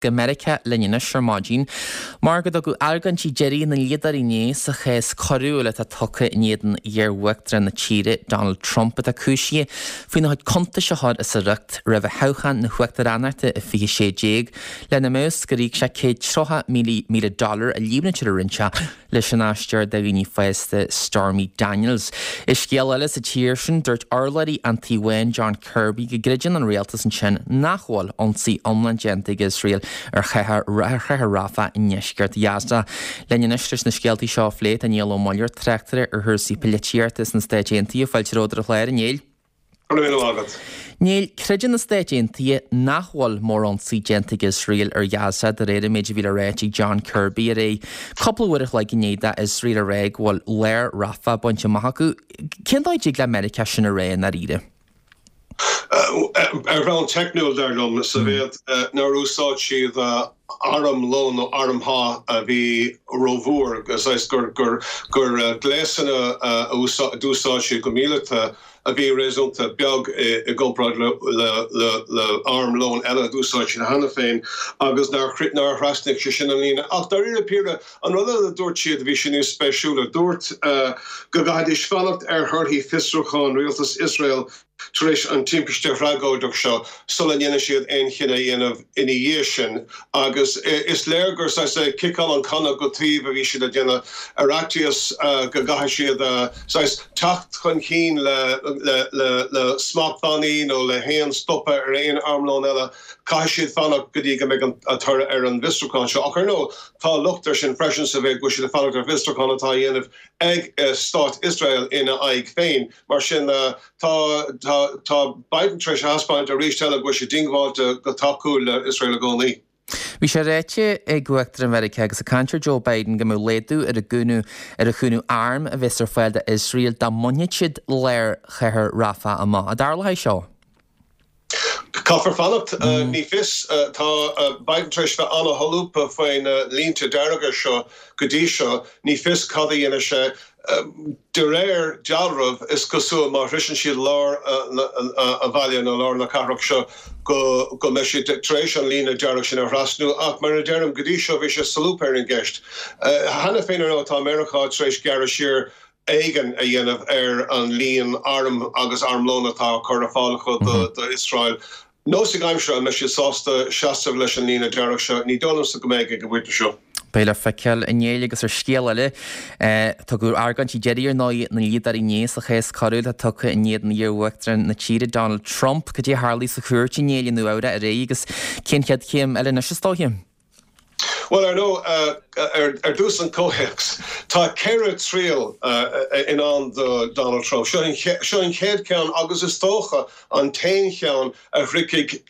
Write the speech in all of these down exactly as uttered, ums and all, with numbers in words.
Go Meiriceá linn anois ar maidin mar go dtugadh argóintí deiridh na ndlíodóirí inné sa chás coiriúil atá tugtha in éadan iar-uachtarán na tíre Donald Trump atá cúisithe faoina chuid cuntais a chur as a riocht roimh thoghchán na huachtaránachta i fiche sé déag lena mbeadh gur íoc sé céad tríocha míle dollar a líomhnaítear a rinne sé leis an aisteoir do dhaoine fásta Stormy Daniels. I scéal eile sa tír sin dúirt urlabhraí an Tí Bháin John Kirby go gcreideann an rialtas ansin nach bhfuil ionsaí iomlán déanta ag Iosrael ar chathair Rafah i ndeisceart Ghaza. Linn anois leis na scéaltaí seo a phlé tá Niall Ó Muilleoir, tráchtaire ar chúrsaí polaitíochta sna Stáit Aontaithe. Fáilte romhat ar an chlár, a Néill. Go raibh míle maith agat. Néill, creideann na Stáit Aontaithe nach bhfuil mórionsaí déanta ag Iosrael ar Ghaza de réir an méid a bhí le ráit ag John Kirby aréir. Cúpla uair a chloig i ndiaidh d'Iosrael a rá go bhfuil lár Rafah bainte amach acu. Cén dóigh a dtig le Meiriceá sin a rá i ndáiríre? Ar bhonn teicniúil, dar liom, sa mhéid nár úsáid siad armlón nó armtha a bhí rómhór, saghas gur gléasanna a d'úsáid siad go míleata a bhí réasúnta beag i gcomparáid le armlón eile a d'úsáid siad cheana féin agus nár thrasnaigh sé sin an líne. Ach dáiríre píre, an rud eile a dúirt siad a bhí sé níos spéisiúla, dúirt go gcaithfidís fanacht ar thorthaí fiosrúchán rialtas Iosrael tar éis an timpiste thragóideach seo sula ndéanfaidh siad aon chinneadh a dhéanamh ina dhiaidh sin agus is léir gur saghas ciceáil an canna go taobh a bhí siad a déanamh ar fhaitíos go gcaithfidh siad saghas teacht chun cinn le le smachtbhannaí nó le haon stopadh ar aon armlón eile. Caithfidh siad fanacht go dtí go mbeidh an toradh ar an bhfiosrúchán seo. Ach ar ndóigh tá locht air sin freisin sa mhéid go bhfuil siad ag fanacht ar bhfiosrúchán atá á dhéanamh ag Stát Iosrael ina aghaidh féin. Mar sin tá tá tá Biden tar éis a thaispeáint arís eile go bhfuil sé diongbháilte go tacú le Iosrael i gcónaí. Bhí sé ráite ag Uachtarán Mheiriceá agus an cainteoir Joe Biden go mbeadh laghdú ar an gcúnamh ar an chúnamh arm a bheas ar fáil d'Iosrael dá mbainfeadh siad lár chathair Rafah amach. An dtarlóidh seo? Caithfear fanacht. Ní fios. Tá Biden tar éis bheith an-sholúbtha faoi na línte dearga seo go dtí seo. Ní fios cad a dhéanfaidh sé. De réir dealraimh, is cosúil má shroiseann siad lár an bhaile nó lár na cathrach seo go go mbeidh siad tar éis an líne dearg sin a thrasnú. Ach mar a deirim, go dtí seo bhí sé solúbtha ar an gceist. Cheana féin ar ndóigh tá Meiriceá tar éis gearradh siar éigin a dhéanamh ar an líon arm agus armlón atá á cur ar fáil acu d'Iosrael. Nósaigh aimsire, an mbeidh siad sásta seasamh leis an líne dearg seo? Ní dóigh liomsa go mbeidh ag an bpointe seo. Beidh le feiceáil, a Néill, agus ar scéal eile, tugadh argóintí deiridh ar ndóigh na ndlíodóirí inné sa chás coiriúil atá tugtha in éadan iar-uachtarán na tíre Donald Trump. Cad é a tharlaigh sa chúirt, a Néill, i Nua Eabhrac aréir agus cén chéad chéim eile anois is dóiche? Bhuel, ar ndóigh, ar dtús an comhthéacs. Tá ceithre triail i ndán do Donald Trump. Seo an chéad cheann agus is dócha an t-aon cheann a shroichfidh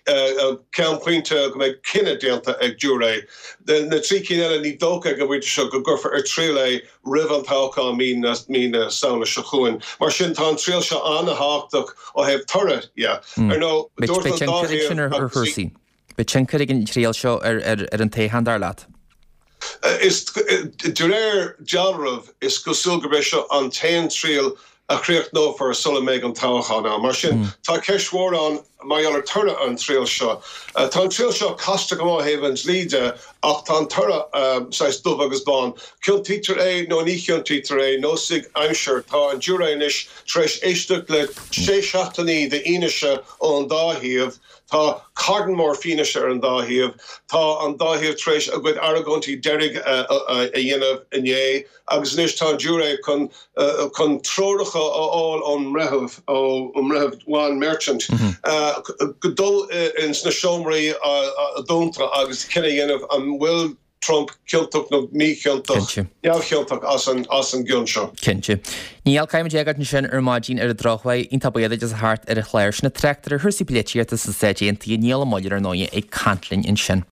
ceannphointe go mbeidh cinneadh déanta ag giúiré. Na trí cinn eile, ní dócha ag an bpointe seo go gcuirfear ar triail é roimh an toghchán mí na Samhna seo chugainn. Mar sin, tá an triail seo an-thábhachtach ó thaobh toradh dhe. Ar ndóigh, dúirt an dá thaobh. Beidh tionchar ag an triail seo ar an toghchán, dar leat? Is de réir dealraimh, is cosúil gurb é seo an t-aon triail a chríochnófar sula mbeidh an toghchán ann. Mar sin, tá ceist mhór ann mar gheall ar toradh an triail seo. Tá an triail seo casta go maith ó thaobh an dlí de ach tá an toradh saghas dubh agus bán. Ciontaítear é nó ní chiontaítear é, nósaigh aimsire. Tá an giúiré anois tar éis éisteacht le sé seachtainí d'fhianaise ón dá thaobh. Tá carn mór fianaise ar an dá thaobh. Tá an dá thaobh tar éis a gcuid argóintí deiridh a dhéanamh inné agus anois tá an giúiré chun chun treoracha a fháil ón mbreitheamh, ón mBreitheamh Juan Merchan, dul ins na seomraí dúnta agus cinneadh a dhéanamh an bhfuil Trump ciontach nó míchiontach, neamhchiontach as an as an gcion seo. Cinnte. Niall, caithfidh muid é a fhágáilt ansin ar maidin ar an drochuair. Iontach buíoch duit as a theacht ar an chlár. Sin an tráchtaire ar chúrsaí polaitíochta sna Stáit Aontaithe, Niall Ó Muilleoir ar ndóigh, ag caint linn ansin.